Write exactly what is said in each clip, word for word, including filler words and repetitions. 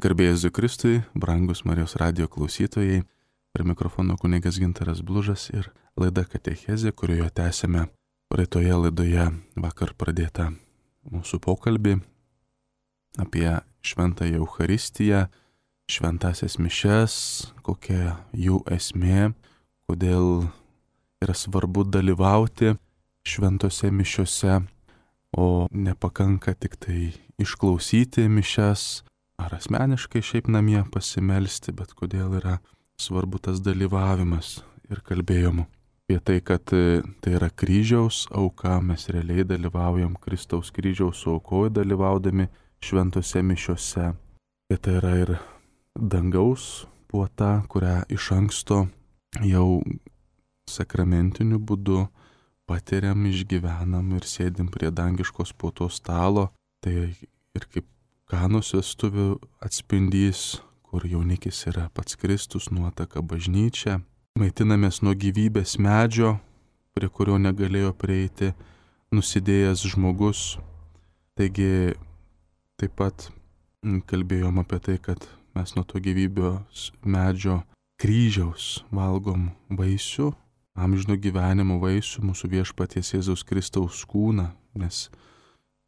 Garbė Jėzui Kristui, brangus Marijos radijo klausytojai, prie mikrofono kunigas Gintaras Blužas ir laida Katechezė, kurioje tęsėme praeitoje laidoje vakar pradėtą mūsų pokalbį apie šventąją Eucharistiją, šventąsias mišias, kokia jų esmė, kodėl yra svarbu dalyvauti šventose mišiose, o nepakanka tik tai išklausyti mišias, ar asmeniškai šiaip namie pasimelsti, bet kodėl yra svarbu tas dalyvavimas. Ir kalbėjom apie tai, kad tai yra kryžiaus auka, mes realiai dalyvaujam Kristaus kryžiaus aukoje dalyvaudami šventose mišiose. Ir tai yra ir dangaus puota, kurią iš anksto jau sakramentiniu būdu patiriam, išgyvenam ir sėdim prie dangiškos puotos stalo. Tai ir kaip Kanos vestuvių atspindys, kur jaunikis yra pats Kristus, nuotaka bažnyčia. Maitinamės nuo gyvybės medžio, prie kurio negalėjo prieiti nusidėjęs žmogus. Taigi taip pat kalbėjom apie tai, kad mes nuo to gyvybės medžio kryžiaus valgom vaisių, amžino gyvenimo vaisių, mūsų viešpaties Jėzaus Kristaus kūną, nes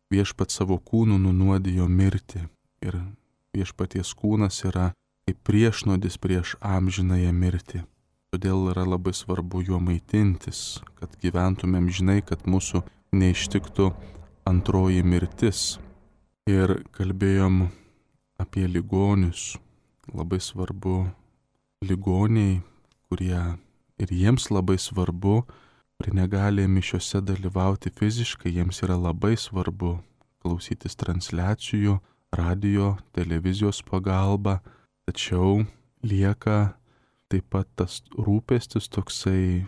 viešpat savo kūnų nunuodijo mirtį ir viešpaties kūnas yra kaip priešnodis prieš amžinąją mirtį. Todėl yra labai svarbu juo maitintis, kad gyventumėm žinai, kad mūsų neištiktų antroji mirtis. Ir kalbėjom apie ligonius. Labai svarbu ligoniai, kurie ir jiems labai svarbu, kurie negali mišiose dalyvauti fiziškai, jiems yra labai svarbu klausytis transliacijų, radio, televizijos pagalba, tačiau lieka taip pat tas rūpestis toksai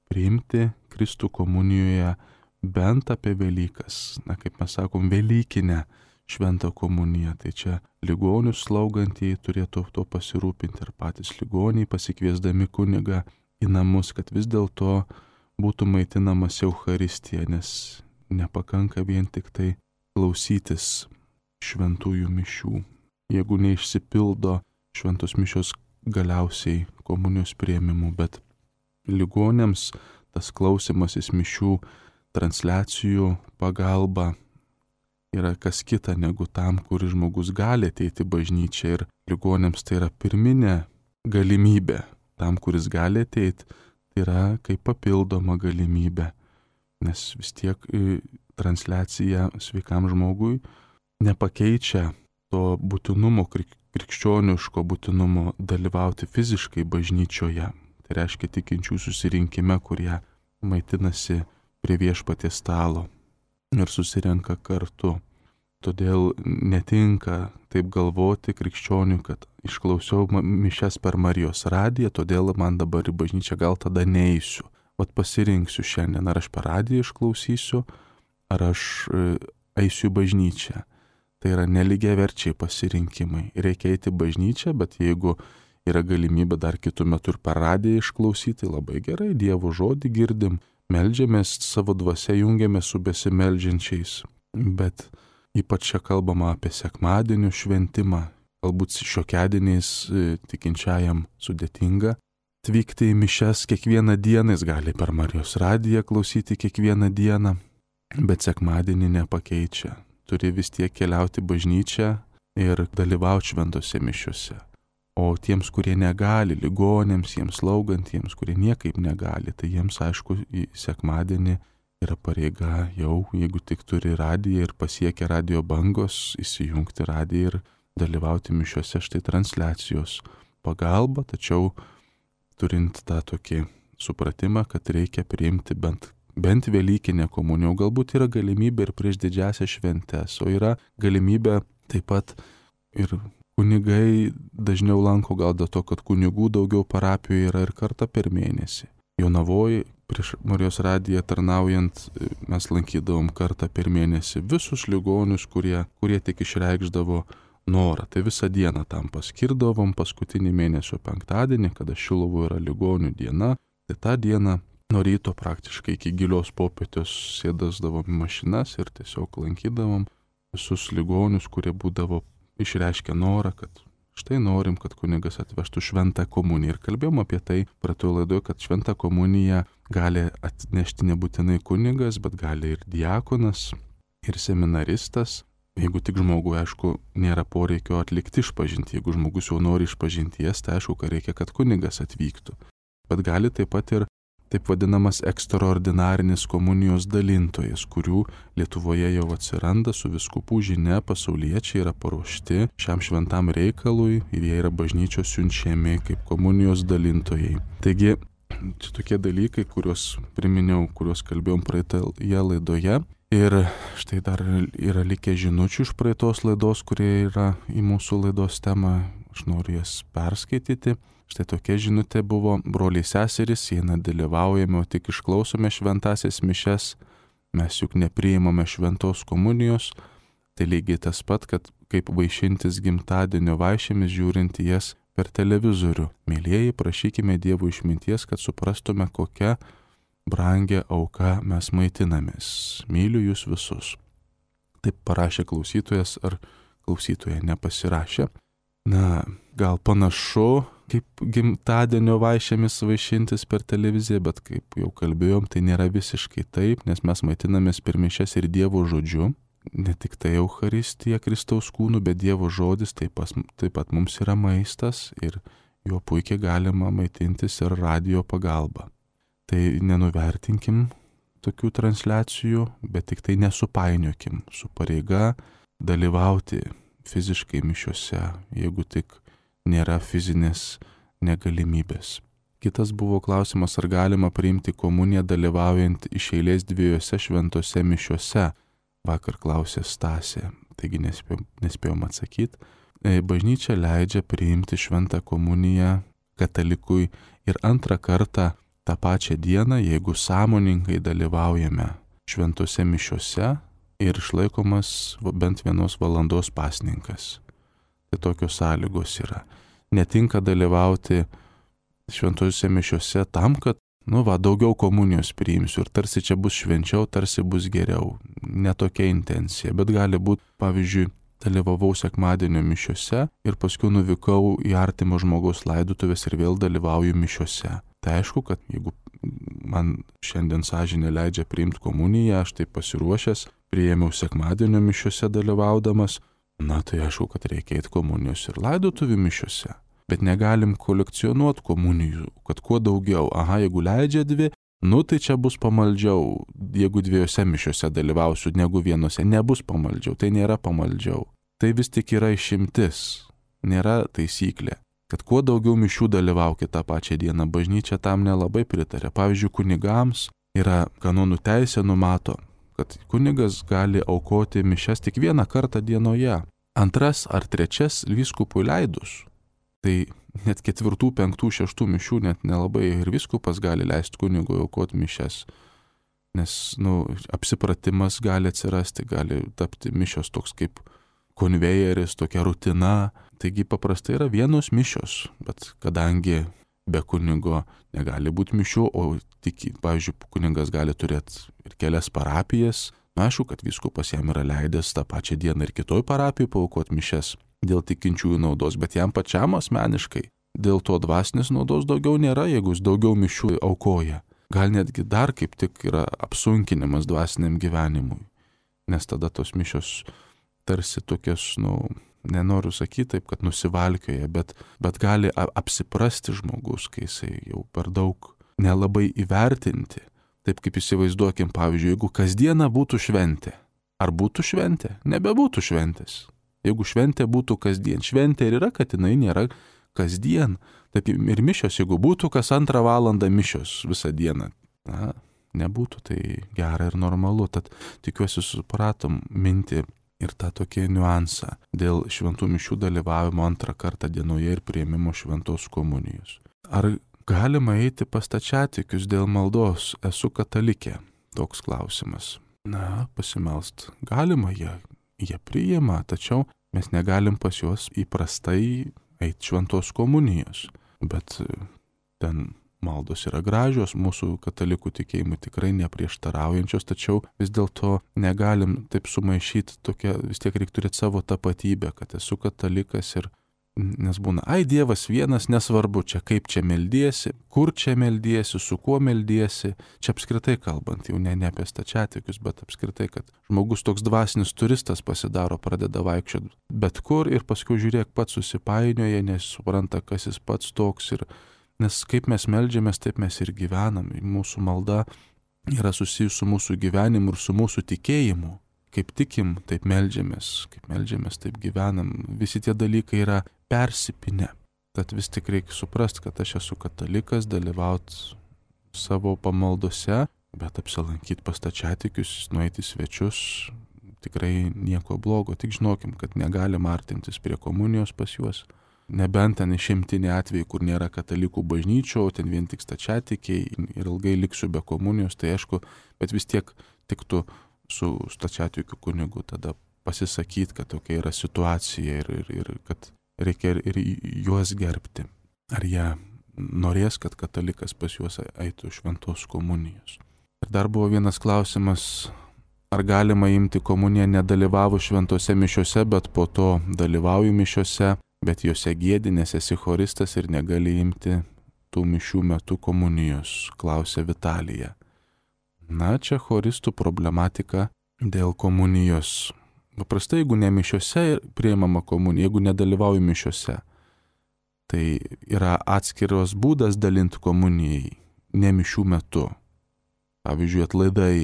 priimti Kristų komunijoje bent apie Velykas, na kaip mes sakom, Velykinę šventą komuniją. Tai čia ligonius slaugantieji turėtų to pasirūpinti ir patys ligoniai pasikviesdami kunigą į namus, kad vis dėlto būtų maitinamas Eucharistija, nes nepakanka vien tik tai klausytis šventųjų mišių. Jeigu neišsipildo šventos mišios galiausiai komunijos priėmimu, bet ligonėms tas klausimasis mišių transliacijų pagalba yra kas kita negu tam, kur žmogus gali ateiti bažnyčią, ir ligonėms tai yra pirminė galimybė. Tam, kuris gali ateiti, tai yra kaip papildoma galimybė, nes vis tiek transliacija sveikam žmogui nepakeičia to būtinumo, krikščioniško būtinumo dalyvauti fiziškai bažnyčioje. Tai reiškia tikinčių susirinkime, kurie maitinasi prie viešpaties stalo ir susirenka kartu. Todėl netinka taip galvoti krikščionių, kad išklausiau mišias per Marijos radiją, todėl man dabar į bažnyčią gal tada neįsiu. Vat pasirinksiu šiandien, ar aš per radiją išklausysiu, ar aš eisiu į bažnyčią. Tai yra nelygiaverčiai pasirinkimai. Reikia eiti į bažnyčią, bet jeigu yra galimybė dar kitų metų ir per radiją išklausyti, labai gerai, Dievo žodį girdim, meldžiamės, savo dvasia jungiamės su besimeldžiančiais. Bet ypač čia kalbama apie sekmadienio šventimą, galbūt šiokiadieniais tikinčiajam sudėtinga atvykti į mišias kiekvieną dieną, jis gali per Marijos radiją klausyti kiekvieną dieną, bet sekmadienį nepakeičia. Turi vis tiek keliauti bažnyčią ir dalyvauti šventose mišiuose. O tiems, kurie negali, ligonėms, jiems slaugantiems, kurie niekaip negali, tai jiems aišku į sekmadienį yra pareiga jau, jeigu tik turi radiją ir pasiekia radio bangos, įsijungti radiją ir dalyvauti mišiuose, štai transliacijos pagalba, tačiau turint tą tokį supratimą, kad reikia priimti bent, bent Velykinę komuniją, galbūt yra galimybė ir prieš didžiąsias šventes, o yra galimybė taip pat ir kunigai dažniau lanko, gal dėl to, kad kunigų daugiau parapijoje yra, ir kartą per mėnesį. Jonavoje prieš Marijos radiją tarnaujant mes lankydavom kartą per mėnesį visus ligonius, kurie, kurie tik išreikšdavo norą. Tai visą dieną tam paskirdavom, paskutinį mėnesio penktadienį, kada Šilovoje yra ligonių diena, tai tą dieną nuo ryto praktiškai iki gilios popietės sėdasdavom į mašinas ir tiesiog lankydavom visus ligonius, kurie būdavo išreiškia norą, kad štai norim, kad kunigas atvežtų šventą komuniją. Ir kalbėjom apie tai praeitoje laidoje, kad šventą komuniją gali atnešti nebūtinai kunigas, bet gali ir diakonas, ir seminaristas. Jeigu tik žmogui, aišku, nėra poreikio atlikti išpažintį. Jeigu žmogus jau nori išpažinties, tai aišku, kad reikia, kad kunigas atvyktų. Bet gali taip pat ir taip vadinamas ekstraordinarinis komunijos dalintojas, kurių Lietuvoje jau atsiranda su vyskupų žinia, pasauliečiai yra paruošti šiam šventam reikalui ir jie yra bažnyčios siunčiami kaip komunijos dalintojai. Taigi, čia tokie dalykai, kuriuos priminiau, kuriuos kalbėjom praeitoje laidoje. Ir štai dar yra likę žinučių iš praeitos laidos, kurie yra į mūsų laidos temą, aš noriu jas perskaityti. Štai tokia žinutė buvo: broliai seserys, jei nedalyvaujame, o tik išklausome šventasias mišias, mes juk nepriimame šventos komunijos, tai lygiai tas pat, kad kaip vaišintis gimtadienio vaišėmis žiūrint į jas per televizorių. Mėlieji, prašykime Dievo išminties, kad suprastume, kokia brangia auka mes maitinamės. Myliu jūs visus. Taip parašė klausytojas ar klausytoja nepasirašė. Na, gal panašu, kaip gimtadienio vaišėmis vaišintis per televiziją, bet kaip jau kalbėjom, tai nėra visiškai taip, nes mes maitinamės per mišias ir Dievo žodžiu. Ne tik tai Eucharistija Kristaus kūnų, bet Dievo žodis taip, pas, taip pat mums yra maistas ir juo puikiai galima maitintis ir radio pagalba. Tai nenuvertinkim tokių transliacijų, bet tik tai nesupainiokim su pareiga dalyvauti fiziškai mišiuose, jeigu tik nėra fizinės negalimybės. Kitas buvo klausimas, ar galima priimti komuniją dalyvaujant iš eilės dviejose šventose mišiuose. Vakar klausė Stasė, taigi nespėjom, nespėjom atsakyti. Bažnyčia leidžia priimti šventą komuniją katalikui ir antrą kartą tą pačią dieną, jeigu sąmoningai dalyvaujame šventose mišiuose ir išlaikomas bent vienos valandos pasninkas. Tai tokios sąlygos yra. Netinka dalyvauti šventose mišiuose tam, kad, nu va, daugiau komunijos priimsiu ir tarsi čia bus švenčiau, tarsi bus geriau. Ne tokia intencija, bet gali būti, pavyzdžiui, dalyvavau sekmadienio mišiuose ir paskui nuvykau į artimo žmogaus laidotuvės ir vėl dalyvauju mišiuose. Tai aišku, kad jeigu man šiandien sąžinė leidžia priimti komuniją, aš taip pasiruošęs, priėmiau sekmadienio mišiuose dalyvaudamas, na tai aišku, kad reikia eiti komunijos ir laidotuvių mišiuose. Bet negalim kolekcionuoti komunijų, kad kuo daugiau, aha, jeigu leidžia dvi, nu tai čia bus pamaldžiau, jeigu dviejose mišiuose dalyvausiu, negu vienose, nebus pamaldžiau, tai nėra pamaldžiau. Tai vis tik yra išimtis, nėra taisyklė. Kad kuo daugiau mišių dalyvaukit tą pačią dieną, bažnyčia tam nelabai pritarė. Pavyzdžiui, kunigams yra kanonų teisė numato, kad kunigas gali aukoti mišias tik vieną kartą dienoje, antras ar trečias vyskupui leidus. Tai net ketvirtų, penktų, šeštų mišių net nelabai ir vyskupas gali leisti kunigui aukoti mišias, nes, nu, apsipratimas gali atsirasti, gali tapti mišios toks kaip konvejeris, tokia rutina. Taigi paprastai yra vienos mišios, bet kadangi be kunigo negali būti mišių, o tik, pavyzdžiui, kunigas gali turėti ir kelias parapijas, na, aišku, kad vyskupas jam yra leidęs tą pačią dieną ir kitoj parapijai paaukoti mišias dėl tikinčiųjų naudos, bet jam pačiam asmeniškai dėl to dvasinės naudos daugiau nėra, jeigu jis daugiau mišių aukoja. Gal netgi dar kaip tik yra apsunkinimas dvasiniam gyvenimui, nes tada tos mišios tarsi tokios, nu, nenoriu sakyti taip, kad nusivalkioja, bet, bet gali apsiprasti žmogus, kai jisai jau per daug nelabai įvertinti. Taip kaip įsivaizduokim, pavyzdžiui, jeigu kasdieną būtų šventė. Ar būtų šventė? Nebebūtų šventės. Jeigu šventė būtų kasdien. Šventė ir yra, kad jinai nėra kasdien. Taip ir mišios, jeigu būtų kas antrą valandą mišios visą dieną. Na, nebūtų tai gera ir normalu. Tad tikiuosi supratom mintį ir tą tokį niuansą dėl šventų mišių dalyvavimo antrą kartą dienoje ir priėmimo šventos komunijos. Ar galima eiti pas stačiatikius dėl maldos? Esu katalikė. Toks klausimas. Na, pasimelst galima, jie, jie priima, tačiau mes negalim pas juos įprastai eiti šventos komunijos. Bet ten maldos yra gražios, mūsų katalikų tikėjimui tikrai neprieštaraujančios, tačiau vis dėlto negalim taip sumaišyti, tokia, vis tiek reikia turėti savo tapatybę, kad esu katalikas ir nes būna, ai Dievas vienas, nesvarbu čia kaip čia meldiesi, kur čia meldiesi, su kuo meldiesi, čia apskritai kalbant, jau ne, ne apie stačiatikius, bet apskritai, kad žmogus toks dvasinis turistas pasidaro, pradeda vaikščioti bet kur ir paskui žiūrėk pats susipainioja, nesupranta, kas jis pats toks ir nes kaip mes meldžiamės, taip mes ir gyvenam, mūsų malda yra susijusi su mūsų gyvenimu ir su mūsų tikėjimu. Kaip tikim, taip meldžiamės, kaip meldžiamės, taip gyvenam. Visi tie dalykai yra persipinę. Tad vis tik reikia suprasti, kad aš esu katalikas, dalyvauti savo pamaldose, bet apsilankyti pas stačiatikius, nueiti svečius, tikrai nieko blogo. Tik žinokim, kad negalim artintis prie komunijos pas juos. Nebent ten išimtiniai atvejai, kur nėra katalikų bažnyčio, ten vien tik stačiatikiai ir ilgai liksiu be komunijos, tai aišku, bet vis tiek tiktų su stačiatikių kunigu tada pasisakyti, kad tokia yra situacija ir, ir, ir kad reikia ir, ir juos gerbti. Ar jie norės, kad katalikas pas juos eitų šventos komunijos. Ir dar buvo vienas klausimas, ar galima imti komuniją nedalyvavus šventose mišiose, bet po to dalyvauju mišiose, bet juose gėdi, nes esi choristas ir negali imti tų mišių metu komunijos, klausė Vitalija. Na, čia choristų problematika dėl komunijos. Paprastai, jeigu ne mišiose priimama komunija, jeigu nedalyvauju mišiose, tai yra atskiros būdas dalinti komunijai, ne mišių metu. Pavyzdžiui, atlaidai,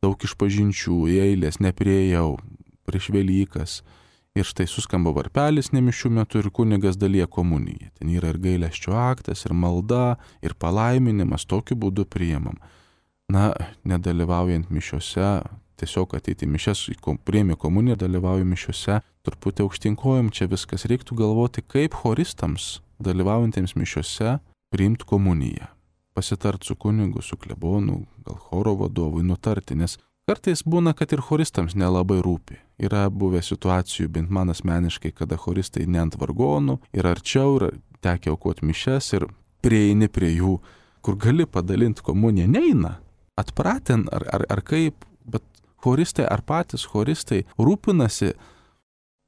daug išpažinčių, eilės, nepriejau, prieš Velykas. Ir štai suskamba varpelis ne mišių metu ir kunigas dalyja komuniją. Ten yra ir gailesčio aktas, ir malda, ir palaiminimas, tokiu būdu priimam. Na, nedalyvaujant mišiose, tiesiog ateiti mišes, priimi komuniją, dalyvauju mišiose, truputį aukštinkojom, čia viskas reiktų galvoti, kaip choristams, dalyvaujantiems mišiose, priimti komuniją. Pasitart su kunigu, su klebonu, gal choro vadovui, nutarti, nes kartais būna, kad ir choristams nelabai rūpi. Yra buvę situacijų, bent man asmeniškai, kada choristai ne ant vargonų, ir arčiau, ir tekia aukoti mišes, ir prieini prie jų, kur gali padalinti komuniją, neina. Atpratin ar, ar, ar kaip, bet choristai ar patys choristai rūpinasi,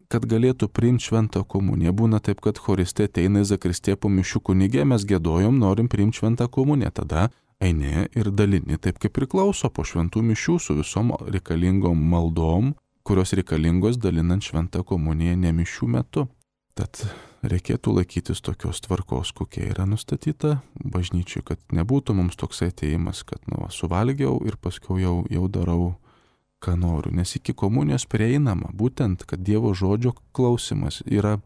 kad galėtų priimti šventą komuniją. Būna taip, kad choristai ateina į zakristiją po mišių, kunigė, mes giedojom, norim priimti šventą komuniją. Tada eini ir dalini taip, kaip priklauso po šventų mišių su visom reikalingom maldom, kurios reikalingos dalinant šventą komuniją ne mišių metu. Tad reikėtų laikytis tokios tvarkos, kokia yra nustatyta bažnyčiai, kad nebūtų mums toks atėjimas, kad nu, suvalgiau ir paskui jau, jau darau, ką noriu. Nes iki komunijos prieinama, būtent, kad Dievo žodžio klausimas yra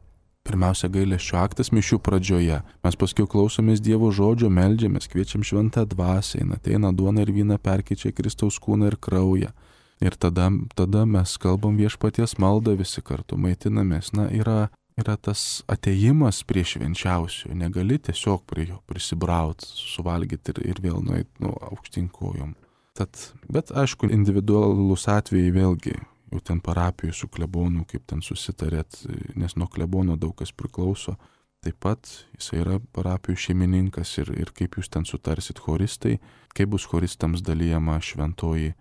pirmiausia gailesčio aktas mišių pradžioje. Mes paskui klausomės Dievo žodžio, meldžiamės, kviečiam šventą dvasią, ateina duona ir vyną perkeičia Kristaus kūną ir kraują. Ir tada, tada mes kalbam viešpaties maldą visi kartu, maitinamės. Na, yra yra tas atėjimas prie švenčiausių, negali tiesiog prie jo prisibrauti, suvalgyti ir, ir vėl nueiti nu, aukštinkojom. Tad, bet aišku, individualus atvejai vėlgi, jau ten parapijų su klebonu, kaip ten susitarėt, nes nuo klebono daug kas priklauso. Taip pat jisai yra parapijų šeimininkas ir, ir kaip jūs ten sutarsit choristai, kaip bus choristams dalyjama šventoji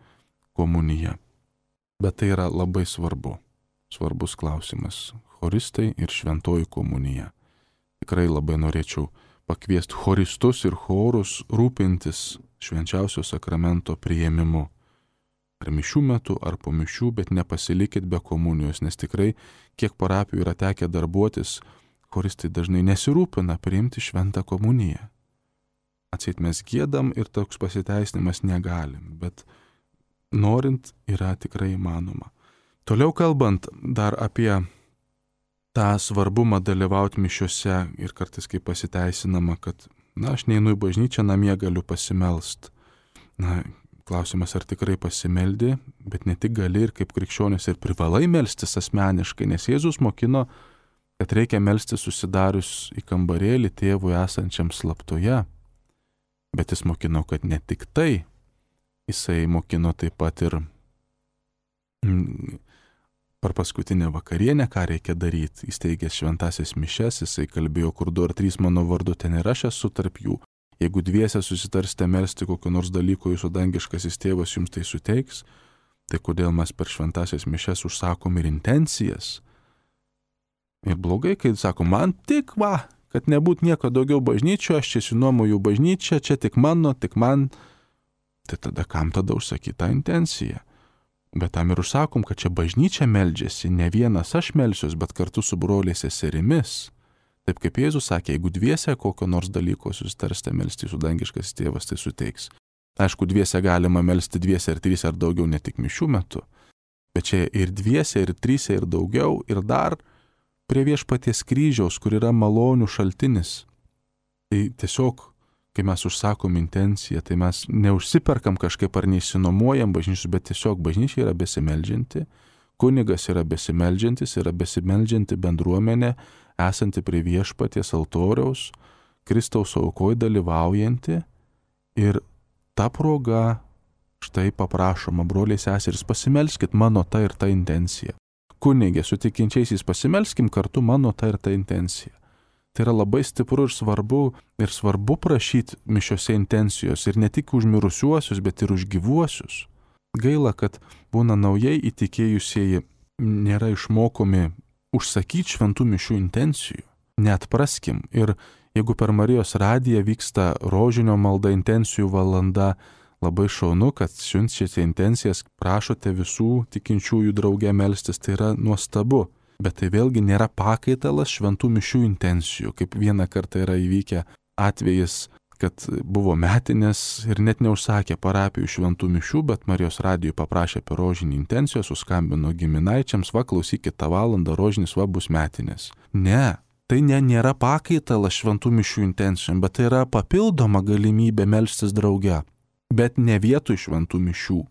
komunija. Bet tai yra labai svarbu, svarbus klausimas. Choristai ir šventoji komunija. Tikrai labai norėčiau pakviesti choristus ir chorus rūpintis švenčiausio sakramento priėmimu. Ar mišių metu, ar po mišių, bet nepasilikit be komunijos, nes tikrai, kiek parapijų yra tekę darbuotis, choristai dažnai nesirūpina priimti šventą komuniją. Atseit mes giedam ir toks pasiteisinimas negalim, bet norint yra tikrai įmanoma. Toliau kalbant dar apie tą svarbumą dalyvauti mišiose ir kartais kaip pasiteisinama, kad, na, aš neinu į bažnyčią, namie galiu pasimelst. Na, klausimas, ar tikrai pasimeldi, bet ne tik gali ir kaip krikščionis ir privalai melstis asmeniškai, nes Jėzus mokino, kad reikia melstis susidarius į kambarėlį tėvui esančiam slaptoje. Bet jis mokino, kad ne tik tai, jisai mokino taip pat ir mm, per paskutinę vakarienę, ką reikia daryti, įsteigęs šventasias mišes, jisai kalbėjo, kur du ar trys mano vardu, ten ir aš esu tarp jų. Jeigu dviese susitarsite melsti kokio nors dalyko, jūsų dangiškasis tėvas jums tai suteiks, tai kodėl mes per šventasias mišias užsakom ir intencijas? Ir blogai, kai sako, man tik va, kad nebūt nieko daugiau bažnyčio, aš čia sinuomoju bažnyčią, čia tik mano, tik man. Tai tada kam tada užsakyti tą intenciją? Bet tam ir užsakom, kad čia bažnyčia meldžiasi, ne vienas aš melsiuos, bet kartu su broliais seserimis. Taip kaip Jėzus sakė, jeigu dviese kokio nors dalyko susitarsite melsti, jūsų dangiškas tėvas tai suteiks. Aišku, dviese galima melsti dviese ir trys ar daugiau, ne tik mišių metu. Bet čia ir dviese, ir tryse, ir daugiau, ir dar prie viešpaties kryžiaus, kur yra malonių šaltinis. Tai tiesiog, kai mes užsakom intenciją, tai mes neužsiperkam kažkaip ar neįsinuomojam bažnyčius, bet tiesiog bažnyčia yra besimeldžianti, kunigas yra besimeldžiantis, yra besimeldžianti bendruomenė, esanti prie viešpaties altoriaus, Kristaus aukoj dalyvaujanti, ir ta proga štai paprašoma, broliai seserys, pasimelskit mano ta ir ta intencija. Kunigė, su tikinčiaisiais pasimelskim kartu mano ta ir ta intencija. Tai yra labai stipru ir svarbu, ir svarbu prašyti mišiose intencijos, ir ne tik už mirusiuosius, bet ir už gyvuosius. Gaila, kad būna naujai įtikėjusieji nėra išmokomi užsakyti šventų mišių intencijų. Neatpraskim. Ir jeigu per Marijos radiją vyksta rožinio malda intencijų valanda, labai šaunu, kad siunčiate intencijas, prašote visų tikinčiųjų drauge melstis, tai yra nuostabu. Bet tai vėlgi nėra pakaitalas šventų mišių intencijų, kaip vieną kartą yra įvykę atvejis, kad buvo metinės ir net neužsakė parapijų šventų mišių, bet Marijos radijui paprašė apie rožinį intenciją, suskambino giminaičiams, va klausykit tą valandą, rožinis va bus metinės. Ne, tai ne, nėra pakaitalas šventų mišių intencijom, bet tai yra papildoma galimybė melstis drauge. Bet ne vietoj šventų mišių,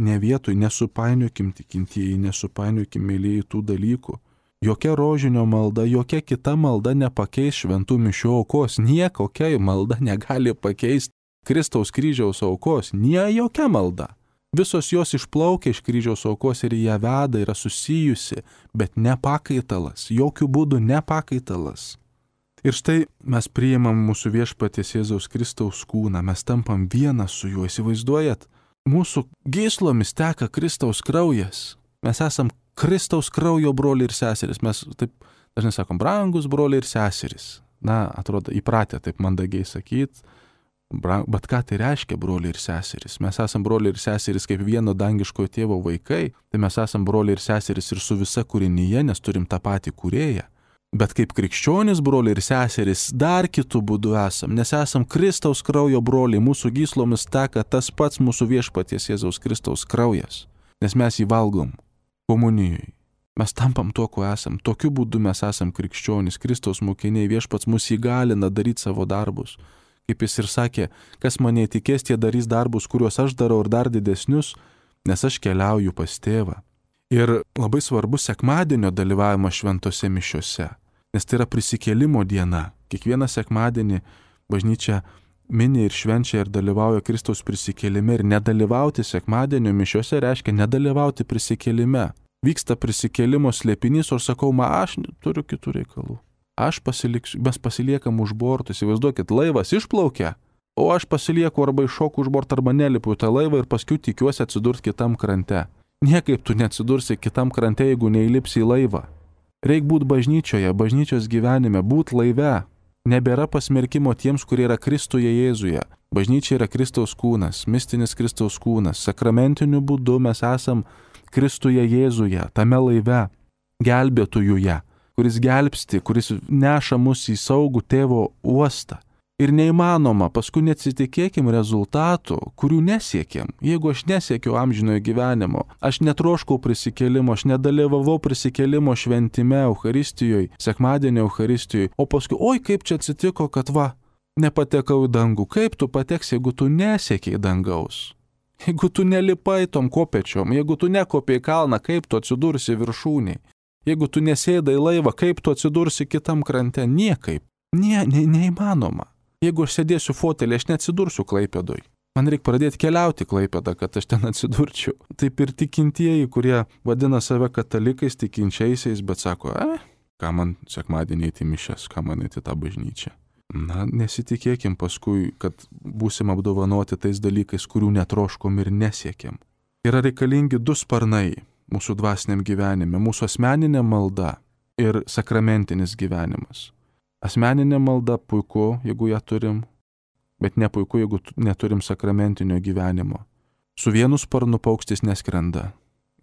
ne vietoj, nesupainiokim tikintieji, nesupainiokim mėlyjei tų dalykų. Jokia rožinio malda, jokia kita malda nepakeis šventų mišių aukos, niekokia malda negali pakeisti Kristaus kryžiaus aukos, nie jokia malda. Visos jos išplaukia iš kryžiaus aukos ir ją veda, yra susijusi, bet ne pakaitalas, jokių būdų ne pakaitalas. Ir štai mes priimam mūsų viešpaties Jėzaus Kristaus kūną, mes tampam vienas su juo, įsivaizduojat, mūsų gyslomis teka Kristaus kraujas, mes esam Kristaus kraujo broliai ir seserys, mes taip dažnai sakom, brangus broliai ir seserys, na, atrodo, įpratę taip mandagiai sakyti, bet ką tai reiškia broliai ir seserys? Mes esam broliai ir seserys kaip vieno dangiškojo tėvo vaikai, tai mes esam broliai ir seserys ir su visa kūrinyje, nes turim tą patį kūrėją. Bet kaip krikščionis broliai ir seserys dar kitų būdų esam, nes esam Kristaus kraujo broliai, mūsų gyslomis teka tas pats mūsų viešpaties Jėzaus Kristaus kraujas, nes mes jį valgom komunijoj. Mes tampam tuo, kuo esam, tokiu būdu mes esam krikščionis, Kristaus mokiniai, viešpats mus įgalina daryti savo darbus. Kaip jis ir sakė, kas mane įtikės, tie darys darbus, kuriuos aš darau ir dar didesnius, nes aš keliauju pas tėvą. Ir labai svarbu sekmadienio dalyvavimas šventose mišiose, nes tai yra prisikėlimo diena. Kiekvieną sekmadienį bažnyčia mini ir švenčia ir dalyvauja Kristaus prisikėlime, ir nedalyvauti sekmadienio mišiose reiškia nedalyvauti prisikėlime. Vyksta prisikėlimo slėpinys, o aš sakau, ma, aš turiu kitų reikalų. Aš pasiliksiu, mes pasiliekam už bortų, įsivaizduokit, laivas išplaukia, o aš pasilieku arba iššoku už bortą arba nelipu tą laivą ir paskui tikiuosi atsidurti kitam krante. Niekaip tu neatsidursi kitam krante, jeigu neįlipsi į laivą. Reik būti bažnyčioje, bažnyčios gyvenime, būti laive. Nebėra pasmerkimo tiems, kurie yra Kristuje Jėzuje. Bažnyčia yra Kristaus kūnas, mistinis Kristaus kūnas. Sakramentiniu būdu mes esam Kristuje Jėzuje, tame laive, gelbėtojuje, kuris gelbsti, kuris neša mus į saugų tėvo uostą. Ir neįmanoma, paskui neatsitikėkim rezultatų, kurių nesiekėm. Jeigu aš nesiekiau amžinojo gyvenimo, aš netroškau prisikėlimo, aš nedalyvavau prisikėlimo šventime, Eucharistijoje, sekmadienio Eucharistijoje, o paskui, oi, kaip čia atsitiko, kad va, nepatekau į dangų. Kaip tu pateksi, jeigu tu nesiekiai dangaus? Jeigu tu nelipai tom kopečiom, jeigu tu nekopiai kalną, kaip tu atsidursi viršūniai? Jeigu tu nesėdai laivą, kaip tu atsidursi kitam krante? Niekaip. Nie, ne, neįmanoma. Jeigu aš sėdėsiu fotelį, aš neatsidursiu Klaipėdoj. Man reikia pradėti keliauti Klaipėdą, kad aš ten atsidurčiau. Taip ir tikintieji, kurie vadina save katalikais, tikinčiaisiais, bet sako, e, ką man sekmadienį eiti mišias, ką man eiti tą bažnyčią. Na, nesitikėkim paskui, kad būsim apdovanoti tais dalykais, kurių netroškom ir nesiekėm. Yra reikalingi du sparnai mūsų dvasiniam gyvenime, mūsų asmeninė malda ir sakramentinis gyvenimas. Asmeninė malda puiku, jeigu ją turim, bet ne puiku, jeigu neturim sakramentinio gyvenimo. Su vienu sparnu paukštis neskrenda,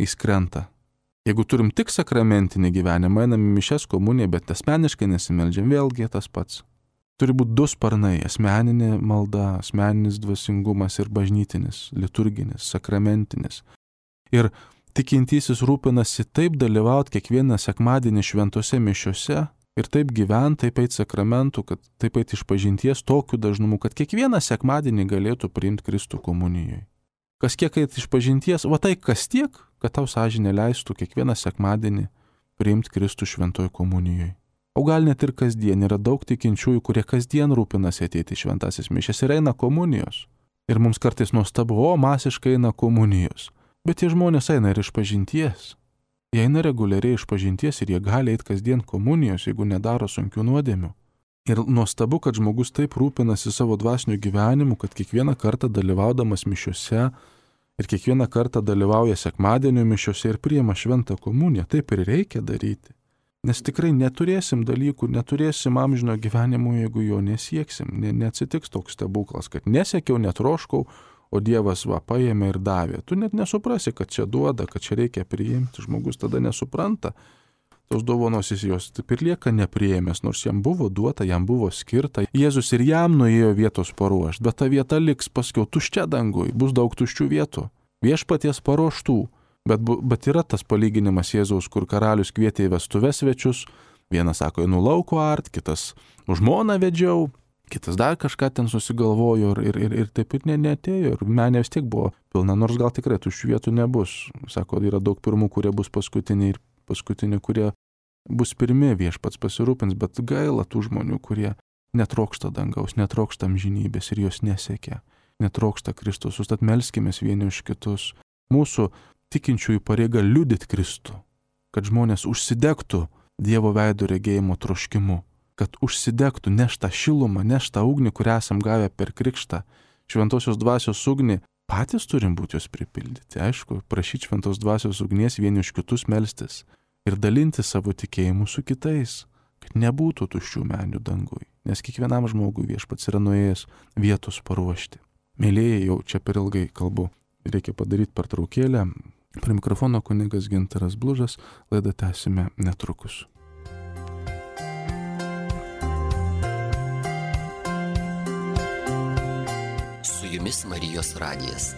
jis krenta. Jeigu turim tik sakramentinį gyvenimą, einam į mišias, komuniją, bet asmeniškai nesimeldžiam, vėlgi tas pats. Turi būti du sparnai - asmeninė malda, asmeninis dvasingumas ir bažnytinis, liturginis, sakramentinis. Ir tikintysis rūpinasi taip dalyvauti kiekvieną sekmadienį šventose mišiose ir taip gyventi, taip eit sakramentų, kad taip eit išpažinties tokiu dažnumu, kad kiekvieną sekmadienį galėtų priimti Kristų komunijoje. Kas kiek eit išpažinties, va tai kas tiek, kad tau sąžinė leistų kiekvieną sekmadienį priimti Kristų šventoje komunijoje. O gal net ir kasdien yra daug tikinčiųjų, kurie kasdien rūpinasi ateiti į šventasis mišias ir eina komunijos. Ir mums kartais nuostabu, o masiškai eina komunijos. Bet tie žmonės eina ir išpažinties. Jie eina reguliariai išpažinties ir jie gali eiti kasdien komunijos, jeigu nedaro sunkių nuodėmių. Ir nuostabu, kad žmogus taip rūpinasi savo dvasiniu gyvenimu, kad kiekvieną kartą dalyvaudamas mišiose ir kiekvieną kartą dalyvauja sekmadienio mišiose ir priima šventą komuniją. Taip ir reikia daryti. Nes tikrai neturėsim dalykų, neturėsim amžino gyvenimo, jeigu jo nesieksim. Ne, neatsitiks toks stebuklas, kad nesiekiau, netroškau, o Dievas va paėmė ir davė. Tu net nesuprasi, kad čia duoda, kad čia reikia priimti. Žmogus tada nesupranta. Tos dovanos jis jos taip ir lieka nepriėmęs, nors jam buvo duota, jam buvo skirta. Jėzus ir jam nuėjo vietos paruošti, bet ta vieta liks paskiau tuščia dangui, bus daug tuščių vietų. Viešpaties paruoštų. Bet, bet yra tas palyginimas Jėzaus, kur karalius kvietė į vestuves svečius. Vienas sako, einu lauko art, kitas už žmoną vedžiau, kitas dar kažką ten susigalvojo ir, ir, ir, ir taip ir ne, neatėjo. Ir menė vis tiek buvo pilna, nors gal tikrai tuščių vietų nebus. Sako, yra daug pirmų, kurie bus paskutiniai ir paskutiniai, kurie bus pirmi, Viešpats pasirūpins, bet gaila tų žmonių, kurie netrokšta dangaus, netrokšta amžinybės ir jos nesiekia. Netrokšta Kristus, užtat melskimės vieni už kitus. Mūsų tikinčiųjų pareiga liudyti Kristų, kad žmonės užsidegtų Dievo veido regėjimo troškimu, kad užsidegtų neštą šilumą, neštą ugnį, kurią esam gavę per krikštą, šventosios dvasios ugnį, patys turim būti jos pripildyti, aišku, prašyti šventos dvasios ugnies vieni už kitus melstis ir dalinti savo tikėjimu su kitais, kad nebūtų tuščių menių dangui, nes kiekvienam žmogui Viešpats yra nuėjęs vietos paruošti. Mėlėjai, jau čia per ilgai kalbu, reikia padaryti pertraukėlę. Prie mikrofono kunigas Gintaras Blužas, laidą tęsime netrukus. Su jumis Marijos radijas.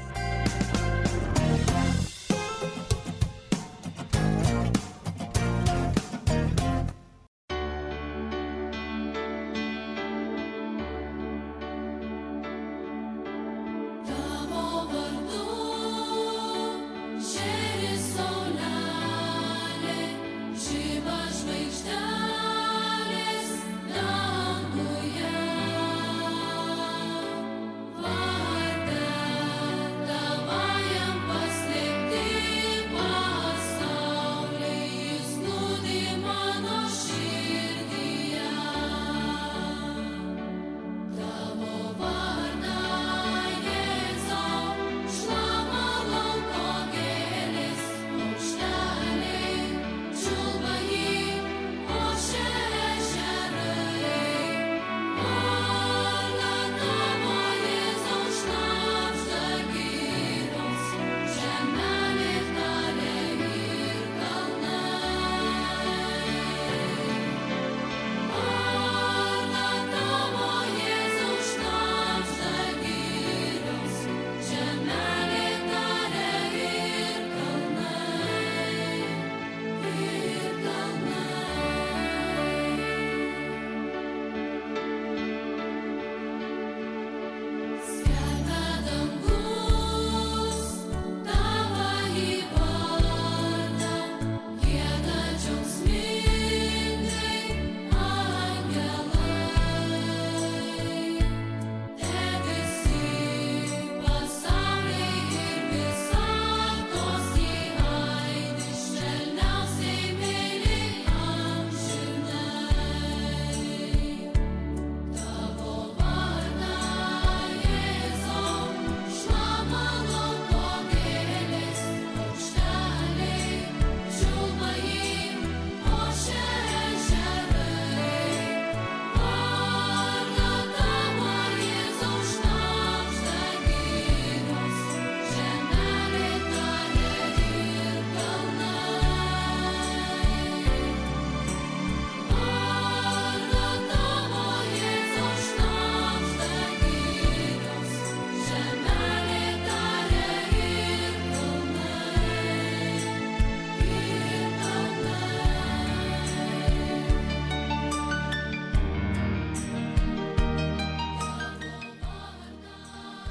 Vardą tavajam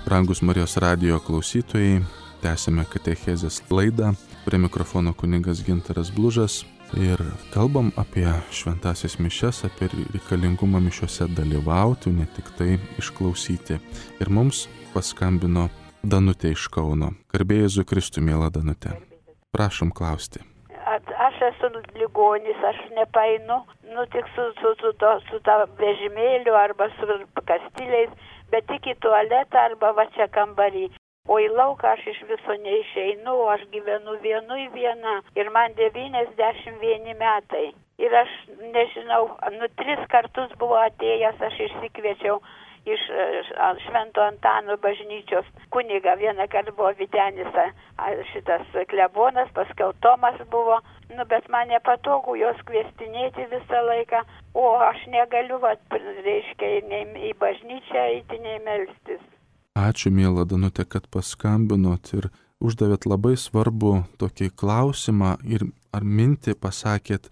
Brangus Marijos radijo klausytojai, tęsime katechezės laidą. Prie mikrofono kunigas Gintaras Blužas ir kalbam apie šventąsias mišias, apie reikalingumą mišiuose dalyvauti, ne tik tai išklausyti. Ir mums paskambino Danutė iš Kauno. Garbė Jėzui Kristui, miela Danutė. Prašom klausti. Aš esu ligonis, aš nepainu, nu tik su, su, su, to, su ta vežimėliu arba su kastiliais, bet tik į tualetą arba va čia kambarį. O į lauką aš iš viso neišeinu, o aš gyvenu vienui viena ir man devyniasdešimt vieni metai. Ir aš nežinau, nu tris kartus buvo atėjęs, aš išsikviečiau iš Švento Antano bažnyčios kunigą. Vieną kartą buvo Vytenis šitas klebonas, paskiau Tomas buvo, nu bet man nepatogu jos kviestinėti visą laiką, o aš negaliu, va, reiškia, nei į bažnyčią eiti, nei melstis. Ačiū, miela Danutė, kad paskambinot ir uždavėt labai svarbu tokį klausimą ir ar mintį pasakėt,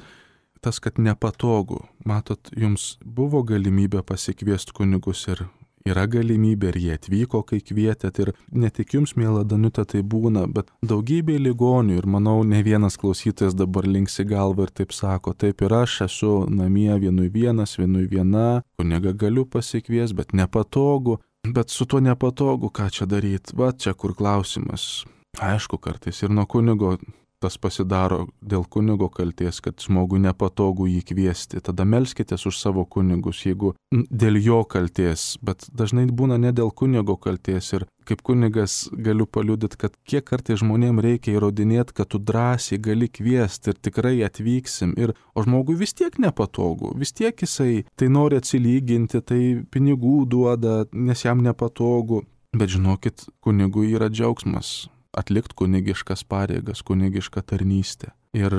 tas, kad nepatogu. Matot, jums buvo galimybė pasikviesti kunigus ir yra galimybė ir jie atvyko, kai kvietėt. Ir ne tik jums, miela Danutė, tai būna, bet daugybė ligonių. Ir manau, ne vienas klausytojas dabar linksi galvą ir taip sako, taip ir aš esu namie vienui vienas, vienui viena, kunigą galiu pasikviesti, bet nepatogu. Bet su tuo nepatogu, ką čia daryti? Va čia kur klausimas. Aišku, kartais ir nuo kunigo tas pasidaro dėl kunigo kalties, kad žmogui nepatogu jį kviesti. Tada melskitės už savo kunigus, jeigu dėl jo kalties, bet dažnai būna ne dėl kunigo kalties. Ir kaip kunigas galiu paliudyti, kad kiek kartais žmonėms reikia įrodinėti, kad tu drąsiai gali kviesti ir tikrai atvyksim. Ir, o žmogui vis tiek nepatogu, vis tiek jisai tai nori atsilyginti, tai pinigų duoda, nes jam nepatogu. Bet žinokit, kunigui yra džiaugsmas atlikti kunigiškas pareigas, kunigišką tarnystę. Ir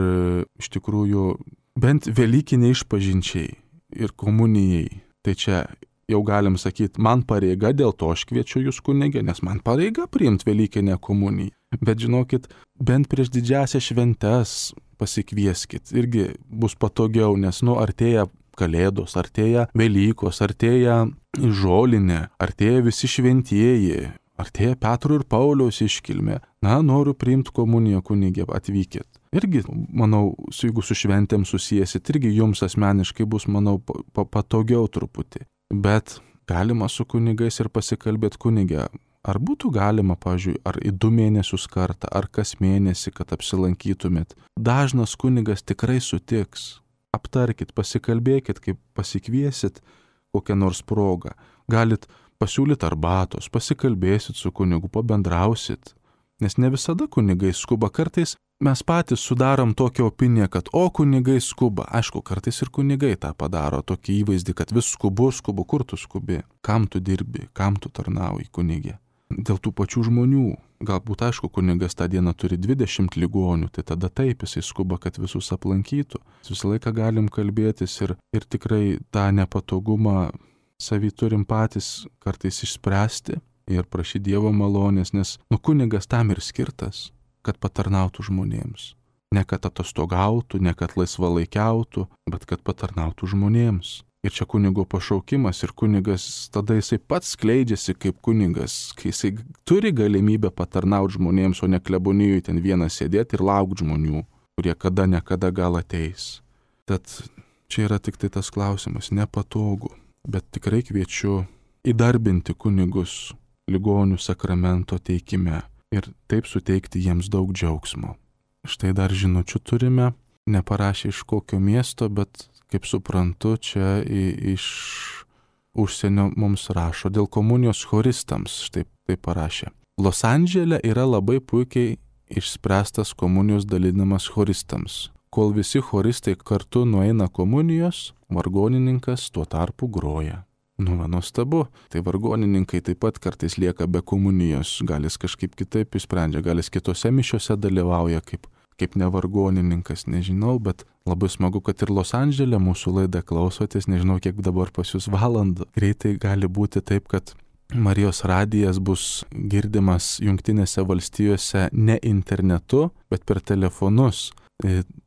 iš tikrųjų, bent velykiniai išpažinčiai ir komunijai, tai čia jau galim sakyti, man pareiga, dėl to aš kviečiu jūs kunigę, nes man pareiga priimti velykinę komuniją. Bet žinokit, bent prieš didžiąsias šventes pasikvieskit, irgi bus patogiau, nes nu artėja Kalėdos, artėja Velykos, artėja žolinė, artėja visi šventieji, artėja Petro ir Pauliaus iškilmė. Na, noriu priimti komuniją, kunigė, atvykit. Irgi, manau, jeigu su šventėm susiesit, irgi jums asmeniškai bus, manau, patogiau truputį. Bet galima su kunigais ir pasikalbėti kunigę. Ar būtų galima, pavyzdžiui, ar į du mėnesius kartą, ar kas mėnesį, kad apsilankytumėt. Dažnas kunigas tikrai sutiks. Aptarkit, pasikalbėkit, kaip pasikviesit kokią nors progą. Galit pasiūlyti arbatos, pasikalbėsit su kunigu, pabendrausit. Nes ne visada kunigai skuba. Kartais mes patys sudarom tokią opiniją, kad o kunigai skuba. Aišku, kartais ir kunigai tą padaro, tokį įvaizdį, kad vis skubu, skubu, kur tu skubi, kam tu dirbi, kam tu tarnauji, kunigė. Dėl tų pačių žmonių. Galbūt, aišku, kunigas tą dieną turi dvidešimt ligonių, tai tada taip jisai skuba, kad visus aplankytų. Visą laiką galim kalbėtis ir, ir tikrai tą nepatogumą savį turim patys kartais išspręsti ir prašyti Dievo malonės, nes nu kunigas tam ir skirtas, kad patarnautų žmonėms. Ne kad atostogautų, ne kad laisvalaikiautų, bet kad patarnautų žmonėms. Ir čia kunigo pašaukimas ir kunigas tada jisai pats skleidžiasi kaip kunigas, kai jisai turi galimybę patarnauti žmonėms, o ne klebonijui ten vienas sėdėti ir laukti žmonių, kurie kada nekada gal ateis. Tad čia yra tik tai tas klausimas, nepatogu. Bet tikrai kviečiu įdarbinti kunigus ligonių sakramento teikime ir taip suteikti jiems daug džiaugsmo. Štai dar žinučių turime, neparašė iš kokio miesto, bet kaip suprantu, čia iš užsienio mums rašo dėl komunijos choristams, štai taip parašė. Los Andžele yra labai puikiai išspręstas komunijos dalinimas choristams. Kol visi choristai kartu nueina komunijos, vargonininkas tuo tarpu groja. Nu, nuostabu, tai vargonininkai taip pat kartais lieka be komunijos, gal jis kažkaip kitaip išsprendžia, gal jis kitose mišiose dalyvauja kaip, kaip nevargonininkas, nežinau, bet labai smagu, kad ir Los Andžele mūsų laidą klausotės, nežinau, kiek dabar pas jūs valandų. Greitai gali būti taip, kad Marijos radijas bus girdimas Jungtinėse valstijose ne internetu, bet per telefonus.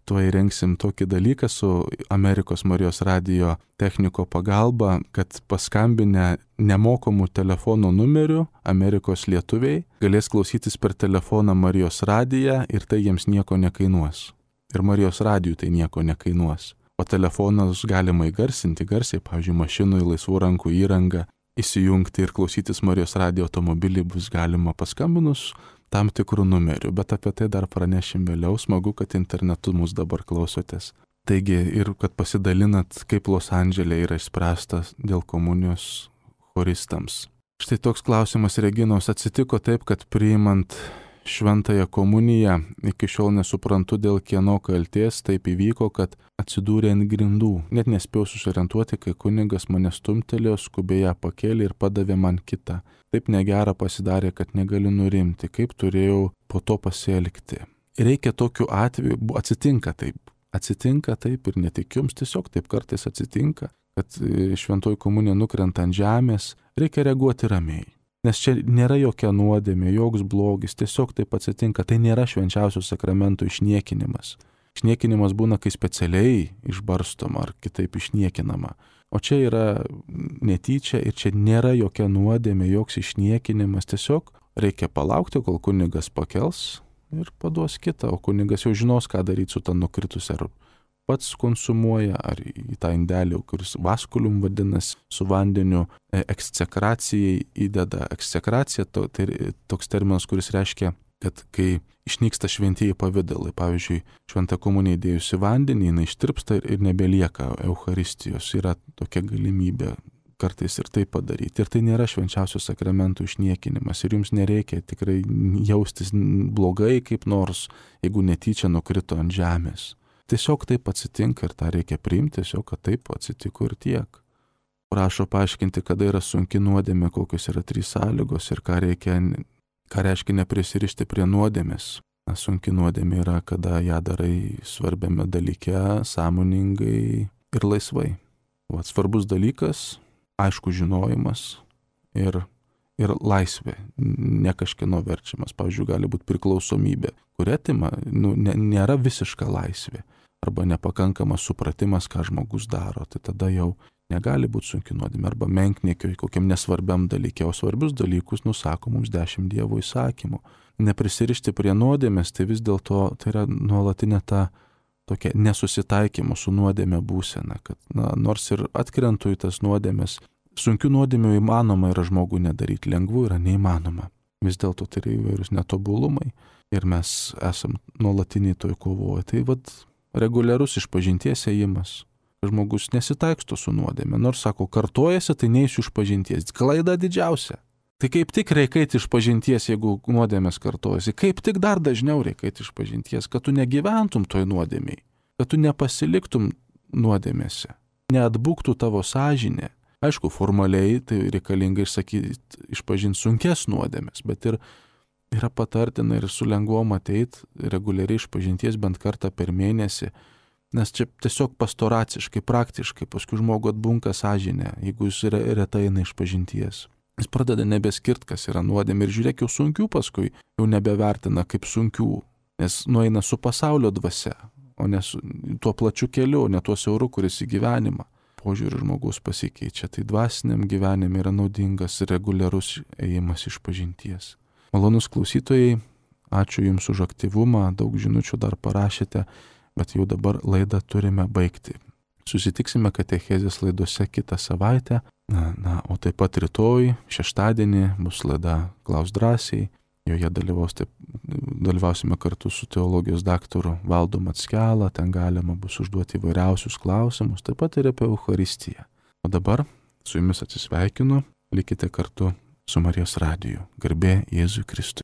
tuo įrengsim tokį dalyką su Amerikos Marijos radijo techniko pagalba, kad paskambinę nemokamų telefono numerių Amerikos lietuviai galės klausytis per telefoną Marijos radiją ir tai jiems nieko nekainuos. Ir Marijos radijui tai nieko nekainuos. O telefonas galima įgarsinti garsiai, pavyzdžiui, mašinui, laisvų rankų įrangą, įsijungti ir klausytis Marijos radijo automobilį bus galima paskambinus tam tikrų numerių, bet apie tai dar pranešim vėliau. Smagu, kad internetu mus dabar klausotės. Taigi ir kad pasidalinat, kaip Los Andžele yra išspręstas dėl komunijos choristams. Štai toks klausimas Reginos: atsitiko taip, kad priimant šventąją komuniją, iki šiol nesuprantu dėl kieno kaltės taip įvyko, kad atsidūrė ant grindų. Net nespėjau susiorientuoti, kai kunigas mane stumtelėjo, skubiai ją pakėlė ir padavė man kitą. Taip negera pasidarė, kad negaliu nurimti, kaip turėjau po to pasielgti. Reikia tokiu atveju, atsitinka taip, atsitinka taip ir ne tik jums, tiesiog taip kartais atsitinka, kad šventoji komunija nukrenta ant žemės, reikia reaguoti ramiai. Nes čia nėra jokia nuodėmė, joks blogis, tiesiog taip atsitinka, tai nėra švenčiausio sakramento išniekinimas. Išniekinimas būna, kai specialiai išbarstoma ar kitaip išniekinama. O čia yra netyčia ir čia nėra jokia nuodėmė, joks išniekinimas, tiesiog reikia palaukti, kol kunigas pakels ir paduos kitą, o kunigas jau žinos, ką daryti su tą nukritusią, ar pats konsumuoja, ar į tą indelį, kuris vaskulium vadinasi, su vandeniu eksekracijai įdeda. Eksekracija to, tai toks terminas, kuris reiškia, kad kai išnyksta šventieji pavidalai, pavyzdžiui, šventą komuniją įdėjusi vandenį, jinai ištirpsta ir, ir nebelieka Eucharistijos. Yra tokia galimybė kartais ir tai padaryti. Ir tai nėra švenčiausio sakramento išniekinimas. Ir jums nereikia tikrai jaustis blogai kaip nors, jeigu netyčia nukrito ant žemės. Tiesiog taip atsitinka ir tą reikia priimti, tiesiog, kad taip atsitiko ir tiek. Prašo paaiškinti, kada yra sunki nuodėmė, kokios yra trys sąlygos ir ką reikia, ką reiškia neprisirišti prie nuodėmės. Na, sunki nuodėmė yra, kada ją darai svarbiame dalyke, sąmoningai ir laisvai. Vat svarbus dalykas, aišku žinojimas ir, ir laisvė, ne kažkieno verčiamas. Pavyzdžiui, gali būti priklausomybė, kur atima, nu, ne, nėra visiška laisvė. Arba nepakankamas supratimas, ką žmogus daro, tai tada jau negali būti sunki nuodėmė, arba menkniekio kokiam nesvarbiam dalykė, o svarbius dalykus nusako mums dešimt Dievo įsakymų. Neprisirišti prie nuodėmės, tai vis dėlto tai yra nuolatinė ta tokia nesusitaikymo su nuodėmė būsena, kad na, nors ir atkrentu į tas nuodėmės, sunkių nuodėmių įmanoma yra žmogų nedaryti, lengvų yra neįmanoma. Vis dėlto tai yra įvairūs netobulumai ir mes esam nuolatiniai toj kovoje. Tai vad reguliarus išpažinties ėjimas. Žmogus nesitaiksto su nuodėmė, nors sako, kartojasi, tai neįsiu išpažinties. Klaida didžiausia. Tai kaip tik reikia eiti išpažinties, jeigu nuodėmės kartojasi. Kaip tik dar dažniau reikia eiti išpažinties, kad tu negyventum toj nuodėmiai, kad tu nepasiliktum nuodėmėse, neatbūktų tavo sąžinė. Aišku, formaliai tai reikalinga išsakyti, išpažinti sunkes nuodėmės, bet ir yra patartina ir su lengvom ateit reguliariai išpažinties bent kartą per mėnesį, nes čia tiesiog pastoraciškai, praktiškai, paskui žmogų atbunka sąžinė, jeigu jis yra retai eina išpažinties. Jis pradeda nebeskirt, kas yra nuodėmė ir žiūrėk, jau sunkių paskui jau nebevertina kaip sunkių, nes nueina su pasaulio dvasia, o ne su tuo plačiu keliu, ne tuo siauru, kuris į gyvenimą. Požiūrį žmogus pasikeičia, tai dvasiniam gyvenime yra naudingas reguliarus ėjimas išpažinties. Malonus klausytojai, ačiū Jums už aktyvumą, daug žinučių dar parašėte, bet jau dabar laidą turime baigti. Susitiksime katechezės laidose kitą savaitę, na, na, o taip pat rytoj, šeštadienį, bus laida Klaus drąsiai, joje dalyvaus, taip, dalyvausime kartu su teologijos daktaru Valdu Mackelą, ten galima bus užduoti įvairiausius klausimus, taip pat ir apie Eucharistiją. O dabar su Jumis atsisveikinu, likite kartu su Marijos radiju. Garbė Jėzui Kristui.